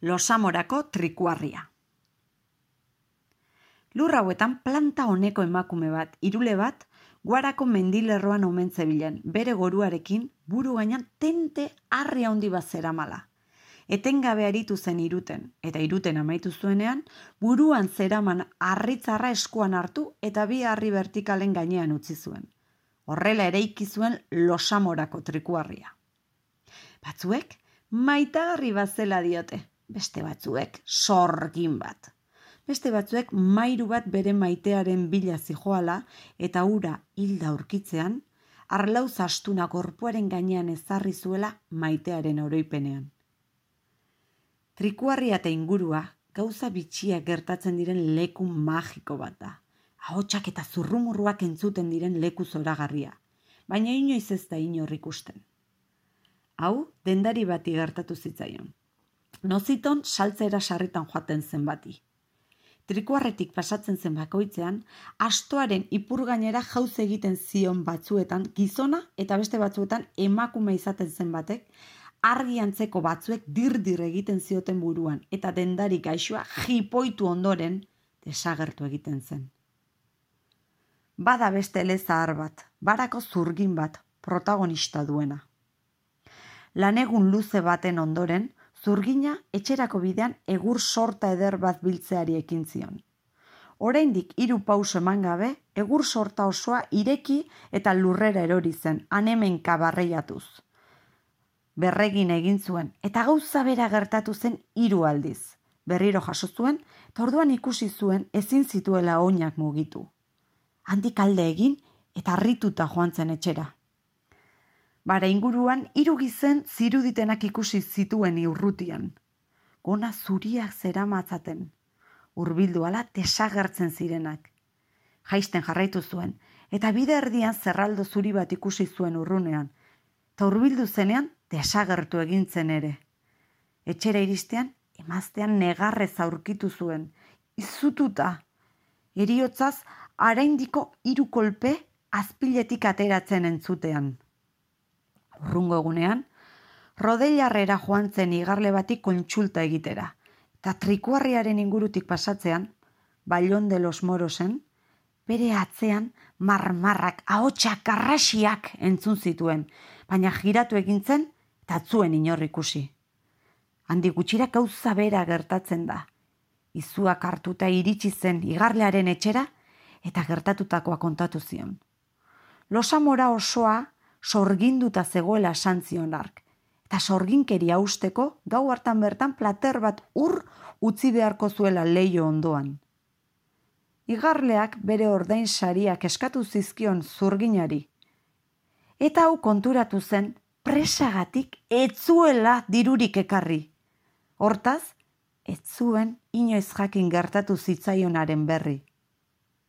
Losamorako trikuarria. Lur hauetan planta honeko emakume bat, irule bat, Guarako mendilerroan omen zebilen, bere goruarekin buru gainean tente harri handi bat zeramala. Etengabe aritu zen iruten, eta iruten amaitu zuenean, buruan zeraman harritzarra eskuan hartu eta bi harri vertikalen gainean utzi zuen. Horrela eraiki zuen Losamorako trikuarria. Batzuek maitagarri bat zela diote, beste batzuek sorgin bat. Beste batzuek mairu bat bere maitearen bila zijoala eta ura hilda aurkitzean, arlauz astuna gorpuaren gainean ezarri zuela maitearen oroipenean. Trikuarria eta ingurua gauza bitxiak gertatzen diren leku magiko bat da. Ahotsak eta zurrumurruak entzuten diren leku zoragarria, baina inoiz ez da inor ikusten. Hau, dendari bati gertatu zitzaion. Noziton saltzera sarritan joaten zen bati. Trikuarretik pasatzen zen bakoitzean, astoaren ipurgainera jauz egiten zion batzuetan gizona eta beste batzuetan emakume izaten zen batek, argi antzeko batzuek dirdir egiten zioten buruan eta dendari gaixoa jipoitu ondoren desagertu egiten zen. Bada beste elezahar bat, barako zurgin bat, protagonista duena. Lanegun luze baten ondoren, zurgina etxerako bidean egur sorta eder bat biltzeari ekin zion. Oraindik 3 pauso eman gabe, egur sorta osoa ireki eta lurrera erori zen, hanemenka barreiatuz. Berregin egin zuen, eta gauza bera gertatu zen 3 aldiz. Berriro jaso zuen, eta orduan ikusi zuen ezin zituela oinak mugitu. Handik alde egin eta harrituta joan zen etxera. Bara inguruan 3 gizen ziruditenak ikusi zituen urrutian. Gona zuriak zeramatzaten, hurbildu ala desagertzen zirenak. Jaisten jarraitu zuen, eta bide erdian zerraldo zuri bat ikusi zuen urrunean, eta hurbildu zenean desagertu egin zen ere. Etxera iristean, emaztean negarrez aurkitu zuen, izututa, heriotzaz araindiko 3 kolpe azpiletik ateratzen entzutean. Urrungo egunean, Rodeiarrera joan zen igarle bati kontsulta egitera, eta trikuarriaren ingurutik pasatzean, Bailon de los Morosen, bere atzean marmarrak, ahotsak, arrasiak entzun zituen, baina giratu egin zen eta atzuen inor ikusi. Handik gutxira gauza bera gertatzen da. Izuak hartuta iritsi zen igarlearen etxera eta gertatutakoa kontatu zion. Losamora osoa sorginduta zegoela esan zion hark, eta sorginkeria usteko gau hartan bertan plater bat utzi beharko zuela leiho ondoan. Igarleak bere ordain sariak eskatu zizkion zurginari, eta hau konturatu zen presagatik ez zuela dirurik ekarri. Hortaz, ez zuen inoiz jakin gertatu zitzaionaren berri,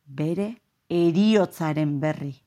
bere heriotzaren berri.